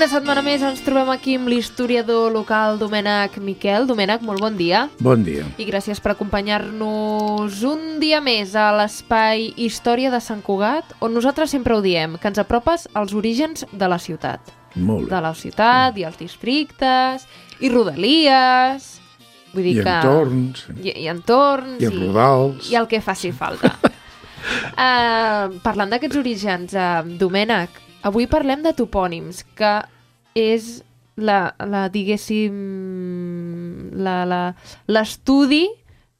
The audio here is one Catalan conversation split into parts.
Una setmana més ens trobem aquí amb l'historiador local Domènec Miquel. Domènec, molt bon dia. Bon dia. I gràcies per acompanyar-nos un dia més a l'espai Història de Sant Cugat, on nosaltres sempre ho diem, que ens apropes als orígens de la ciutat. Molt bé. De la ciutat i els districtes, i rodalies... Vull dir I entorns. I entorns. I rodals. I el que faci falta. Parlant d'aquests orígens, Domènec, avui parlem de topònims, que és diguéssim, l'estudi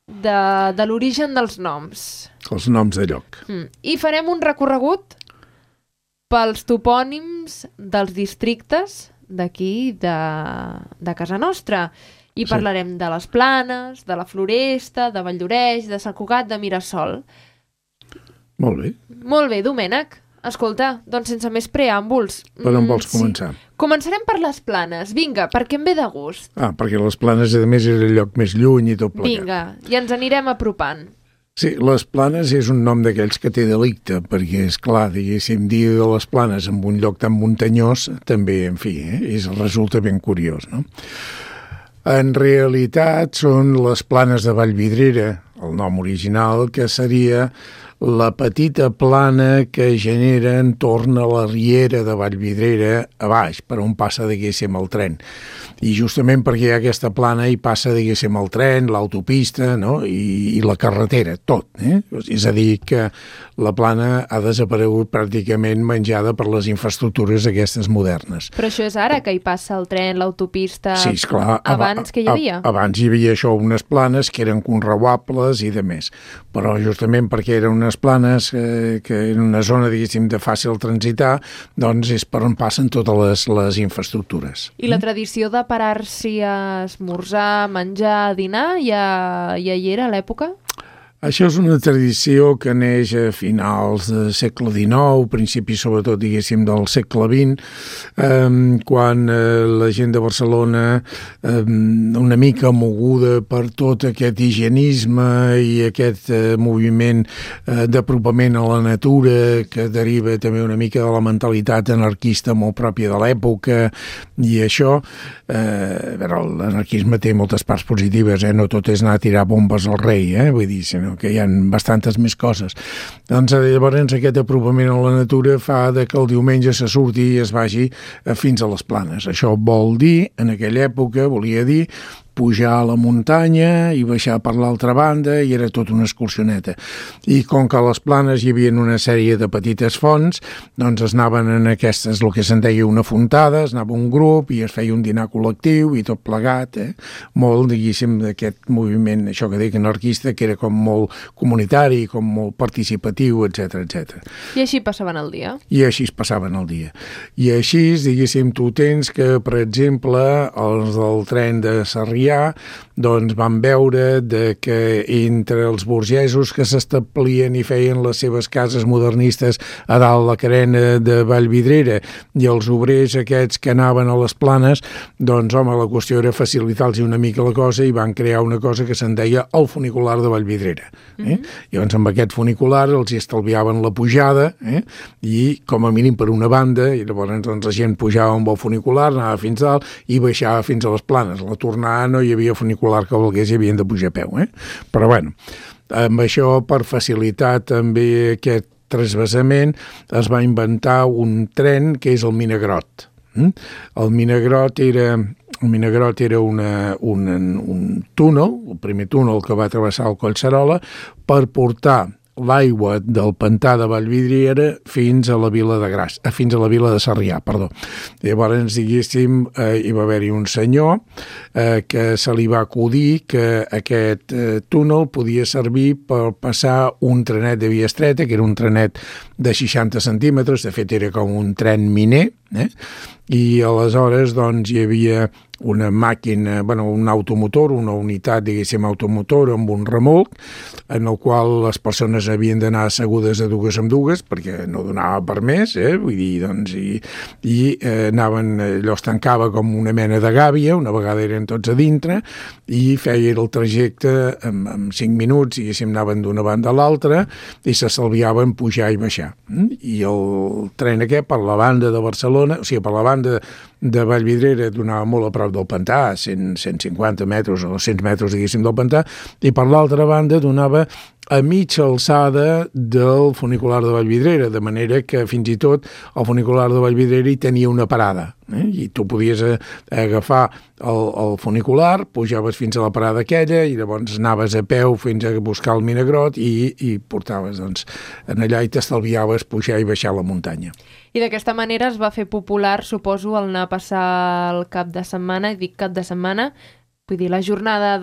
de l'origen dels noms. Els noms de lloc. I farem un recorregut pels topònims dels districtes d'aquí, de casa nostra. I parlarem de les Planes, de la Floresta, de Valldoreix, de Sant Cugat, de Mirasol. Molt bé. Molt bé, Domènec. Escolta, doncs sense més preàmbuls... Per on vols començar? Començarem per les Planes. Vinga, perquè em ve de gust. Perquè les Planes, a més, és el lloc més lluny i tot plegat. Vinga, i ens anirem apropant. Sí, les Planes és un nom d'aquells que té delicte, perquè, és clar, diguéssim, dir de les Planes en un lloc tan muntanyós, també, en fi, resulta ben curiós, no? En realitat són les Planes de Vallvidrera, el nom original, que seria la petita plana que genera entorn a la riera de Vallvidrera a baix, per on passa, diguéssim, el tren. I justament perquè hi ha aquesta plana hi passa, diguéssim, el tren, l'autopista, no? I la carretera, tot. És a dir, que la plana ha desaparegut pràcticament menjada per les infraestructures aquestes modernes. Però això és ara, que hi passa el tren, l'autopista... Sí, esclar. Abans que hi havia? Abans hi havia això, unes planes que eren conreuables i de més. Però justament perquè eren unes planes que en una zona, diguéssim, de fàcil transitar, doncs és per on passen totes les infraestructures. I la tradició de parar-s'hi a esmorzar, menjar, dinar, ja hi era a l'època? Això és una tradició que neix a finals del segle XIX, principis sobretot, diguéssim, del segle XX, quan la gent de Barcelona, una mica moguda per tot aquest higienisme i aquest moviment d'apropament a la natura, que deriva també una mica de la mentalitat anarquista molt pròpia de l'època, i això, l'anarquisme té moltes parts positives, no tot és anar a tirar bombes al rei, vull dir, sinó que hi ha bastantes més coses. Doncs llavors aquest apropament a la natura fa que el diumenge se surti i es vagi fins a les Planes. Això vol dir, en aquella època, volia dir pujar a la muntanya i baixar per l'altra banda, i era tot una excursioneta. I com que a les Planes hi havia una sèrie de petites fonts, doncs es anaven en aquestes, el que se'n deia una fontada, es anava un grup i es feia un dinar col·lectiu i tot plegat, molt, diguéssim, d'aquest moviment, això que dic, anarquista, que era com molt comunitari, com molt participatiu, etc. I així passaven el dia? I així es passaven el dia. I així, diguéssim, tu tens que, per exemple, els del tren de Sarrià, doncs van veure que entre els burgesos que s'establien i feien les seves cases modernistes a dalt la carena de Vallvidrera i els obrers aquests que anaven a les Planes, doncs home, la qüestió era facilitar-los una mica la cosa i van crear una cosa que se'n deia el funicular de Vallvidrera. Llavors amb aquest funicular els hi estalviaven la pujada i com a mínim per una banda, i llavors doncs, la gent pujava amb el funicular, anava fins dalt i baixava fins a les Planes. La tornada no hi havia funicular que volgués i havien de pujar a peu, Però bueno, amb això, per facilitar també aquest transvasament, es va inventar un tren que és el Minagrot. El Minagrot era un túnel, el primer túnel que va travessar el Collserola, per portar l'aigua del pantà de Vallvidrera fins a la vila de Sarrià, perdó. Llavors, diguéssim, hi va haver-hi un senyor que se li va acudir que aquest túnel podia servir per passar un trenet de via estreta, que era un trenet de 60 centímetres, de fet era com un tren miner, i aleshores doncs hi havia una màquina, un automotor, una unitat, diguéssim, automotor amb un remolc, en el qual les persones havien d'anar assegudes de dues en dues, perquè no donava per més, vull dir, doncs, i anaven, allò es tancava com una mena de gàbia, una vegada eren tots a dintre, i feia el trajecte en 5 minuts, diguéssim, anaven d'una banda a l'altra, i s'estalviaven pujar i baixar. I el tren aquest, per la banda de Barcelona, o sigui, per la banda de Vallvidrera donava molt a prop del pantà, 150 metres o 200 metres, diguéssim, del pantà, i per l'altra banda donava a mitja alçada del funicular de Vallvidrera, de manera que fins i tot el funicular de Vallvidrera hi tenia una parada, i tu podies agafar el funicular, pujaves fins a la parada aquella i llavors anaves a peu fins a buscar el Minagrot i portaves doncs, en allà i t'estalviaves pujar i baixar la muntanya. I d'aquesta manera es va fer popular, suposo, el anar a passar el cap de setmana, i dic cap de setmana, vull dir, la jornada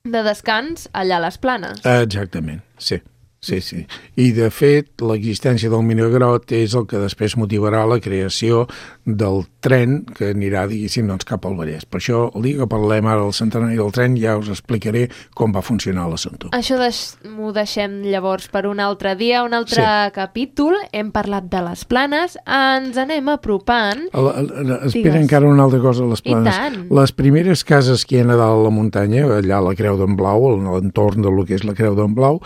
de descans allà a les Planes. Exactament, sí. I, de fet, l'existència del Minagrot és el que després motivarà la creació del tren que anirà, diguéssim, doncs, cap al Vallès. Per això, el dia que parlem ara del centenari del tren, ja us explicaré com va funcionar l'assumpte. Això m'ho deixem llavors per un altre dia, un altre capítol. Hem parlat de les Planes, ens anem apropant. Espera encara una altra cosa a les Planes. I tant. Les primeres cases que hi ha a dalt a la muntanya, allà a la Creu d'en Blau, a l'entorn del que és la Creu d'en Blau,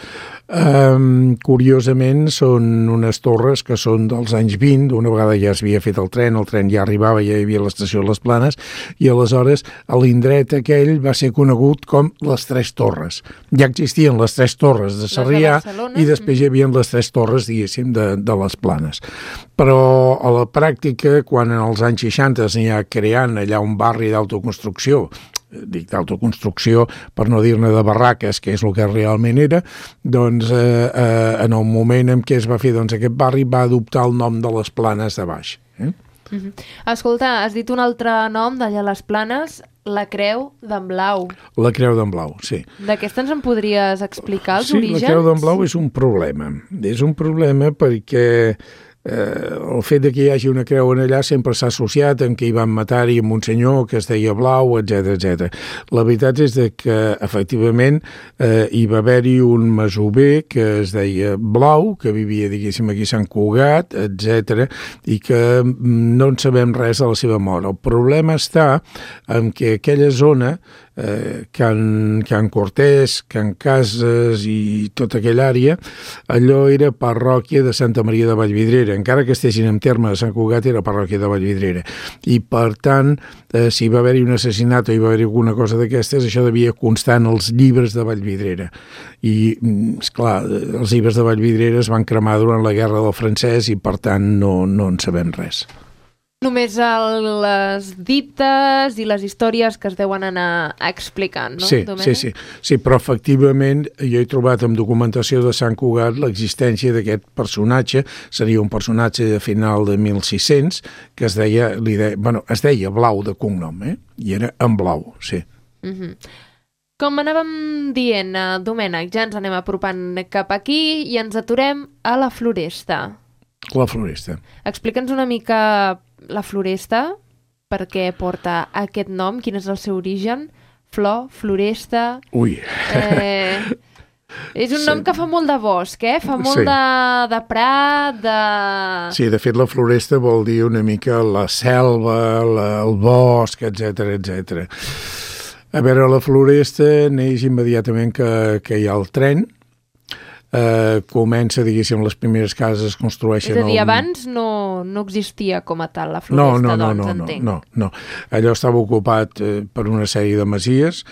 curiosament són unes torres que són dels anys 20, una vegada ja s'havia fet el tren ja arribava, ja hi havia l'estació de les Planes, i aleshores l'indret aquell va ser conegut com les Tres Torres. Ja existien les Tres Torres de Sarrià i després hi havia les Tres Torres, diguéssim, de les Planes. Però a la pràctica, quan en els anys 60 s'hi ha creant allà un barri d'autoconstrucció, dic d'autoconstrucció per no dir-ne de barraques, que és el que realment era, doncs en el moment en què es va fer aquest barri va adoptar el nom de les Planes de Baix. Escolta, has dit un altre nom d'allà a les Planes, la Creu d'en Blau. La Creu d'en Blau, sí. D'aquesta ens en podries explicar els orígens? Sí, la Creu d'en Blau és un problema. És un problema perquè el fet que hi hagi una creu en allà sempre s'ha associat amb que hi van matar-hi un senyor que es deia Blau, etc. La veritat és que, efectivament, hi va haver-hi un masover que es deia Blau, que vivia, diguéssim, aquí a Sant Cugat, etc., i que no en sabem res de la seva mort. El problema està en que aquella zona, Can Cortés, Can Cases i tota aquella àrea, allò era parròquia de Santa Maria de Vallvidrera, encara que estiguessin en terme de Sant Cugat era parròquia de Vallvidrera, i per tant, si va haver-hi un assassinat o hi va haver-hi alguna cosa d'aquestes, això devia constar en els llibres de Vallvidrera, i esclar, els llibres de Vallvidrera es van cremar durant la Guerra del Francès i per tant no en sabem res. Només les dites i les històries que es deuen anar explicant, no, Domènec? Sí, però efectivament jo he trobat en documentació de Sant Cugat l'existència d'aquest personatge, seria un personatge de final de 1600, que es deia Blau de cognom, i era en Blau, sí. Com anàvem dient, Domènec, ja ens anem apropant cap aquí i ens aturem a la Floresta. La Floresta. Explica'ns una mica la Floresta, per què porta aquest nom, quin és el seu origen, Floresta... Ui! És un nom que fa molt de bosc, fa molt de prat, de... Sí, de fet la Floresta vol dir una mica la selva, el bosc, etc. A veure, la Floresta neix immediatament que hi ha el tren, comença, diguéssim, les primeres cases es construeixen... És a dir, abans no existia com a tal la Floresta, entenc. No. Allò estava ocupat per una sèrie de masies,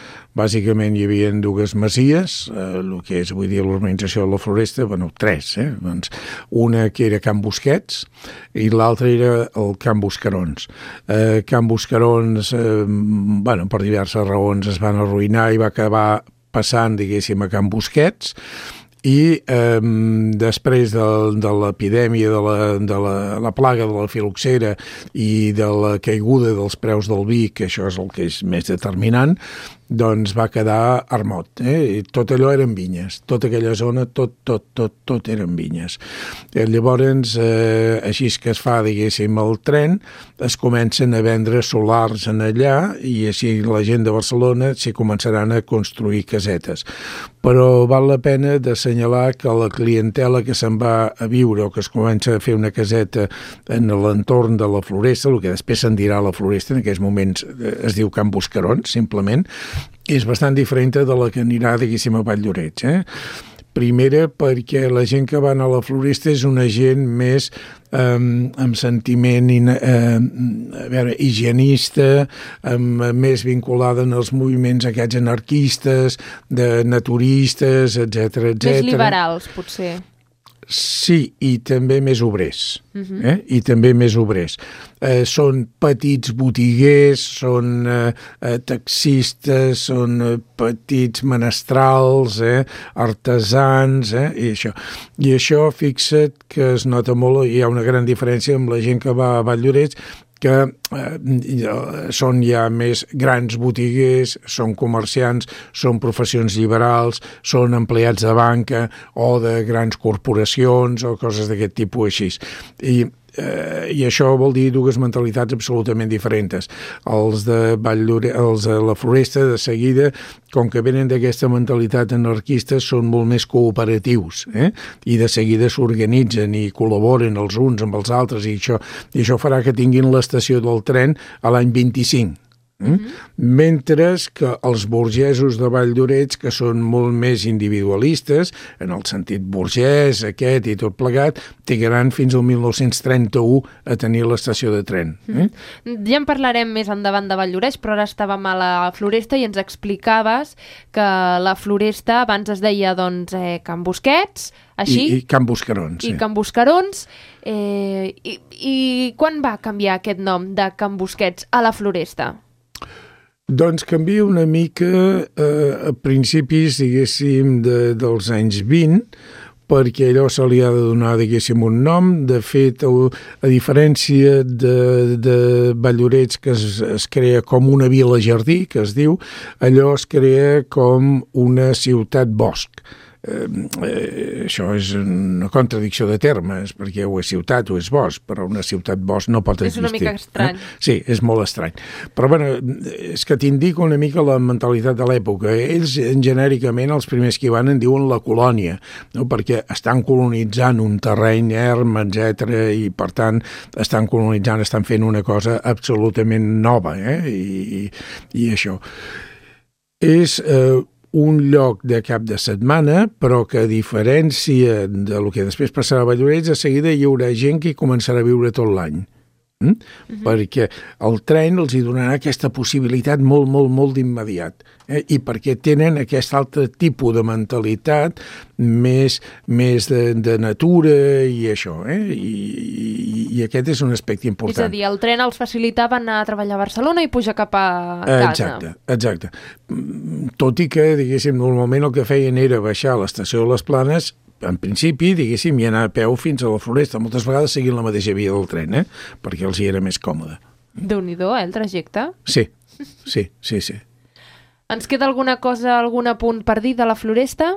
bàsicament hi havia dues masies, el que és avui dia l'organització de la Floresta, tres, doncs una que era Can Busquets i l'altra era el Can Buscarons. Can Buscarons, per diverses raons es van arruïnar i va acabar passant, diguéssim, a Can Busquets, i després de l'epidèmia, de la plaga de la filoxera i de la caiguda dels preus del vi, que això és el que és més determinant, doncs va quedar armot. Tot allò eren vinyes, tota aquella zona, tot eren vinyes. Llavors, així que es fa, diguéssim, el tren, es comencen a vendre solars en allà i així la gent de Barcelona s'hi començaran a construir casetes. Però val la pena d'assenyalar que la clientela que se'n va a viure o que es comença a fer una caseta en l'entorn de la Floresta, el que després se'n dirà la Floresta, en aquests moments es diu Can Buscarons, simplement, és bastant diferent de la que anirà, diguéssim, a Valldoreix, Primera, perquè la gent que va anar a la Floresta és una gent més amb sentiment higienista, més vinculada en els moviments aquests anarquistes, de naturistes, etc. Més liberals, potser. Sí, i també més obrers. I també més obrers. Són petits botiguers, són taxistes, són petits menestrals, artesans, i això. I això, fixa't que es nota molt, hi ha una gran diferència amb la gent que va a Valldoreix, que són ja més grans botiguers, són comerciants, són professions liberals, són empleats de banca o de grans corporacions o coses d'aquest tipus així. I això vol dir dues mentalitats absolutament diferents. Els de la Floresta, de seguida, com que venen d'aquesta mentalitat anarquista, són molt més cooperatius, i de seguida s'organitzen i col·laboren els uns amb els altres, i això farà que tinguin l'estació del tren a l'any 25. Mentre que els burgesos de Valldoreix, que són molt més individualistes, en el sentit burgès aquest i tot plegat, trigaran fins al 1931 a tenir l'estació de tren. Ja en parlarem més endavant de Valldoreix, però ara estàvem a la Floresta i ens explicaves que la Floresta abans es deia Can Busquets, així? I Can Buscarons. I Can Buscarons. I quan va canviar aquest nom de Can Busquets a la Floresta? Doncs canvia una mica a principis, diguéssim, dels anys 20, perquè allò se li ha de donar, diguéssim, un nom. De fet, a diferència de Valldoreix, que es crea com una vila-jardí, que es diu, allò es crea com una ciutat-bosc. Això és una contradicció de termes, perquè o és ciutat o és bosc, però una ciutat-bosc no pot existir. És una mica estrany. Sí, és molt estrany. Però bueno, és que t'indica una mica la mentalitat de l'època. Ells, genèricament, els primers que hi van en diuen la colònia, no? Perquè estan colonitzant un terreny erm, etc. I, per tant, estan colonitzant, estan fent una cosa absolutament nova, i això. És un lloc de cap de setmana, però que a diferència del que després passarà a Valldoreix, de seguida hi haurà gent que hi començarà a viure tot l'any. Perquè el tren els hi donarà aquesta possibilitat molt, molt, molt d'immediat, i perquè tenen aquest altre tipus de mentalitat més de natura i això, i aquest és un aspecte important. És a dir, el tren els facilitava anar a treballar a Barcelona i pujar cap a casa. Exacte. Tot i que, diguéssim, normalment el que feien era baixar a l'estació de les Planes, en principi, diguéssim, i anar a peu fins a la Floresta, moltes vegades seguint la mateixa via del tren, perquè els hi era més còmode. Déu-n'hi-do, el trajecte? Sí. Ens queda alguna cosa, algun apunt per dir de la Floresta?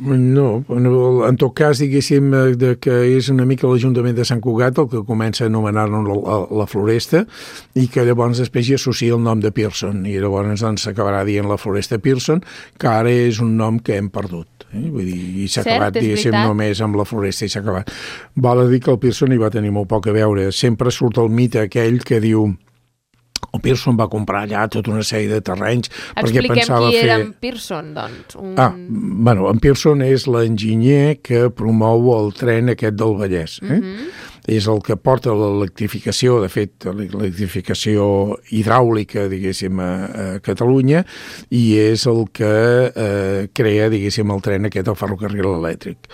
No, en tot cas, diguéssim, que és una mica l'Ajuntament de Sant Cugat el que comença a anomenar-lo la Floresta, i que llavors després hi associa el nom de Pearson, i llavors s'acabarà dient la Floresta Pearson, que ara és un nom que hem perdut. Vull dir, i s'ha acabat, diguéssim, només amb la Floresta i s'ha acabat. Val a dir que el Pearson hi va tenir molt poc a veure. Sempre surt el mite aquell que diu el Pearson va comprar allà tota una sèrie de terrenys perquè pensava fer... Expliquem qui era en Pearson, doncs. En Pearson és l'enginyer que promou el tren aquest del Vallès. És el que porta l'electrificació, de fet, l'electrificació hidràulica, diguéssim, a Catalunya, i és el que crea, diguéssim, el tren aquest, el ferrocarril elèctric.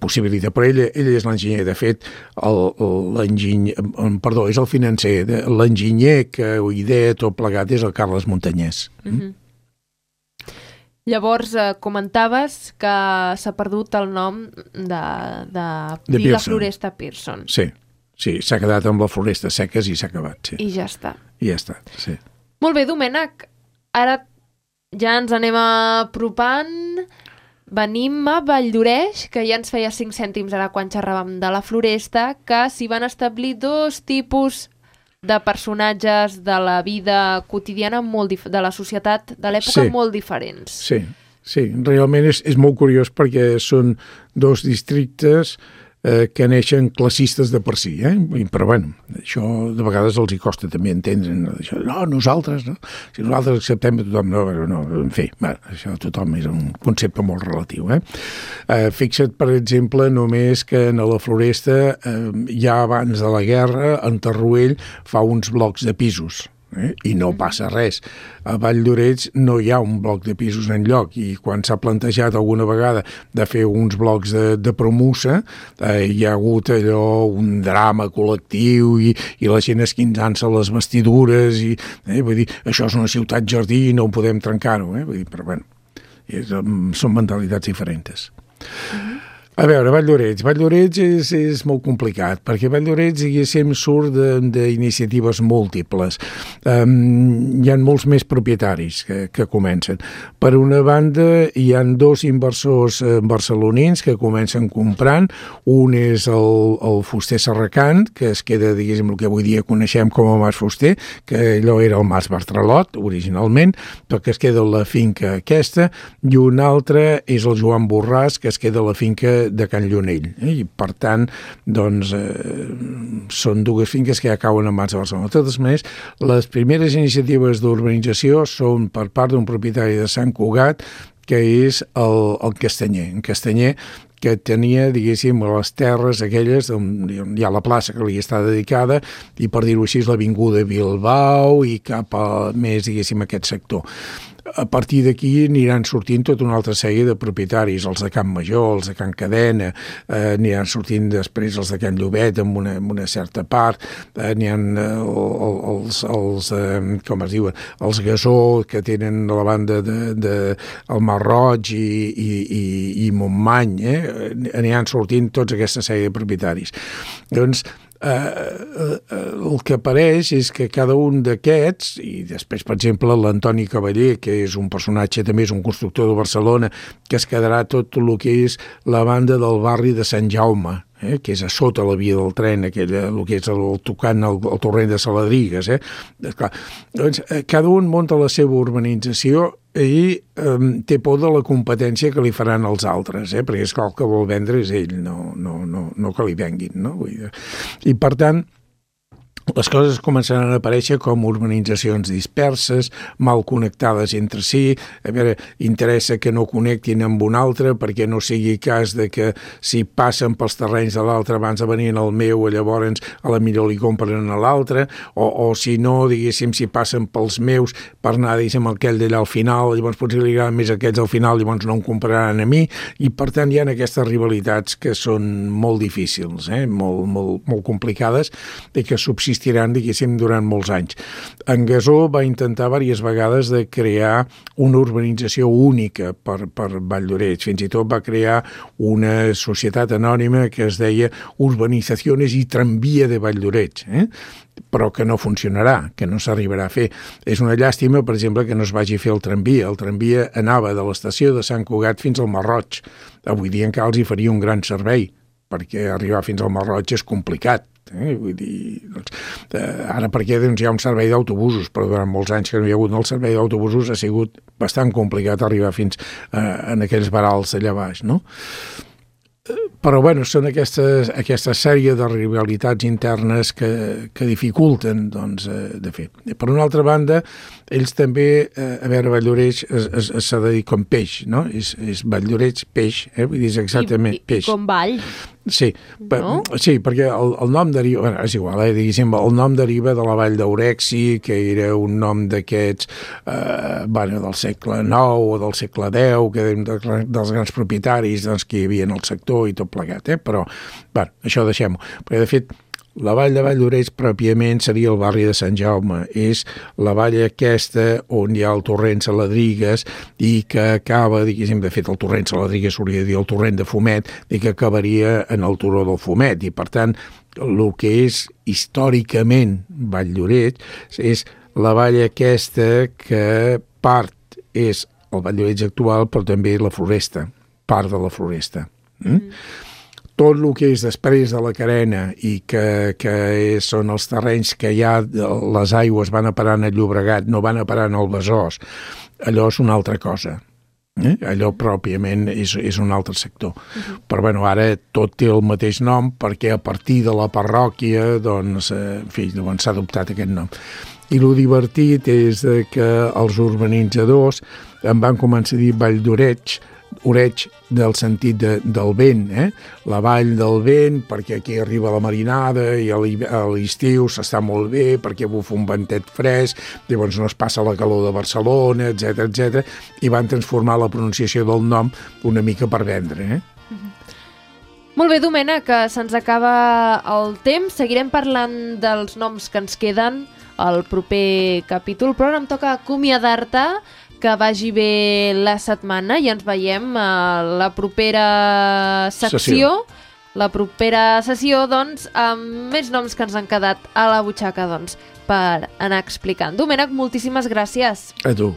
Possibilita, però ell és l'enginyer. De fet, és el financer. L'enginyer que ho idea tot plegat és el Carles Montanyès. Llavors, comentaves que s'ha perdut el nom de Vila Floresta Pearson. Sí, s'ha quedat amb la Floresta Seques i s'ha acabat, sí. I ja està. Sí. Molt bé, Domènec, ara ja ens anem apropant. Venim a Valldoreix, que ja ens feia 5 cèntims ara quan xerràvem de la Floresta, que s'hi van establir dos tipus de personatges de la vida quotidiana de la societat de l'època molt diferents. Sí, realment és molt curiós perquè són dos districtes que neixen classistes de per si, però bueno, això de vegades els hi costa també entendre, això, nosaltres, no? Si nosaltres acceptem a tothom, no, en fi, això tothom és un concepte molt relatiu, Fixa't, per exemple, només que a la Floresta, ja abans de la guerra, en Tarruell fa uns blocs de pisos, i no passa res. A Vall d'Oreig no hi ha un bloc de pisos enlloc, i quan s'ha plantejat alguna vegada de fer uns blocs de promussa, hi ha hagut allò, un drama col·lectiu i la gent esquinçant-se les vestidures, i vull dir, això és una ciutat jardí i no ho podem trencar-ho, vull dir, però bueno, són mentalitats diferents. A veure, Vall d'Oreig és molt complicat, perquè Vall d'Oreig, diguéssim, surt d'iniciatives múltiples. Hi ha molts més propietaris que comencen. Per una banda, hi ha 2 inversors barcelonins que comencen comprant. Un és el Fuster Serracant, que es queda, diguéssim, el que avui dia coneixem com a Mas Fuster, que allò era el Mas Bartralot, originalment, però que es queda la finca aquesta, i un altre és el Joan Borràs, que es queda la finca de Can Llunell, i per tant doncs són 2 finques que ja cauen en mans de Barcelona. De totes maneres, les primeres iniciatives d'urbanització són per part d'un propietari de Sant Cugat, que és el Castanyer. En Castanyer, que tenia, diguéssim, les terres aquelles on hi ha la plaça que li està dedicada, i per dir-ho així, l'avinguda Bilbao i cap a més, diguéssim, aquest sector. A partir d'aquí aniran sortint tota una altra sèrie de propietaris, els de Can Major, els de Can Cadena, aniran sortint després els de Can Llobet amb una certa part, n'hi ha els com es diuen, els Gasó, que tenen a la banda el Mar Roig i Montmany, aniran sortint tots aquesta sèrie de propietaris. Doncs el que apareix és que cada un d'aquests, i després, per exemple, l'Antoni Cavaller, que és un personatge, també és un constructor de Barcelona, que es quedarà tot el que és la banda del barri de Sant Jaume, que és a sota la via del tren, el que és tocant el torrent de Saladrigues. Doncs, cada un munta la seva urbanització i té por de la competència que li faran els altres, perquè és que el que vol vendre és ell, no que li venguin, no? I per tant, les coses començaran a aparèixer com urbanitzacions disperses, mal connectades entre si. A veure, interessa que no connectin amb un altre perquè no sigui cas de que si passen pels terrenys de l'altre abans de venir al meu, llavors a la millor li compren a l'altre, o si no, diguéssim, si passen pels meus per anar, diguéssim, aquell d'allà al final, llavors potser li agraden més aquests al final, llavors no em compraran a mi, i per tant hi ha aquestes rivalitats que són molt difícils, molt complicades, i que subsistiran, diguéssim, durant molts anys. En Gasó va intentar diverses vegades de crear una urbanització única per Vall d'Oreig. Fins i tot va crear una societat anònima que es deia Urbanizaciones i Tramvia de Vall d'Oreig, però que no funcionarà, que no s'arribarà a fer. És una llàstima, per exemple, que no es vagi a fer el tramvia. El tramvia anava de l'estació de Sant Cugat fins al Mar Roig. Avui dia encara els hi faria un gran servei, perquè arribar fins al Mar Roig és complicat. Vull dir, ara perquè hi ha un servei d'autobusos, però durant molts anys que no hi ha hagut el servei d'autobusos ha sigut bastant complicat arribar fins en aquells varals allà baix, no? Però bueno, són aquesta sèrie de rivalitats internes que dificulten, doncs, de fer. Per una altra banda, ells també, a veure, Vall d'Oreig s'ha de dir com peix, no? És Vall d'Oreig, peix, vull dir, és exactament peix. I com vall. Sí, no? Sí, perquè el nom deriva, bueno, és igual, diguéssim, el nom deriva de la vall d'Aurexi, que era un nom d'aquests, del segle IX o del segle X, que eren dels grans propietaris, doncs, que hi havia en el sector i tot plegat, però, això deixem-ho. Perquè, de fet, la vall de Vall d'Oreig pròpiament seria el barri de Sant Jaume. És la vall aquesta on hi ha el torrent Saladrigues i que acaba, diguéssim, de fet el torrent Saladrigues s'hauria de dir el torrent de Fumet, i que acabaria en el turó del Fumet. I per tant, el que és històricament Vall d'Oreig és la vall aquesta que part és el Vall d'Oreig actual, però també la Floresta, part de la Floresta. Tot el que és després de la carena i que són els terrenys que ja les aigües van a parar en el Llobregat, no van a parar en el Besòs, allò és una altra cosa. Allò pròpiament és un altre sector. Però bueno, ara tot té el mateix nom perquè a partir de la parròquia doncs, en fi, s'ha adoptat aquest nom. I el divertit és que els urbanitzadors em van començar a dir Vall d'Oreig, Oreig del sentit del vent, la vall del vent, perquè aquí arriba la marinada i a l'estiu s'està molt bé, perquè bufa un ventet fresc, llavors no es passa la calor de Barcelona, etc i van transformar la pronunciació del nom una mica per vendre. Molt bé, Domènec, que se'ns acaba el temps. Seguirem parlant dels noms que ens queden al proper capítol, però ara em toca acomiadar-te, que vagi bé la setmana i ens veiem a la propera secció. La propera sessió, doncs, amb més noms que ens han quedat a la butxaca, doncs, per anar explicant. Domènec, moltíssimes gràcies. A tu.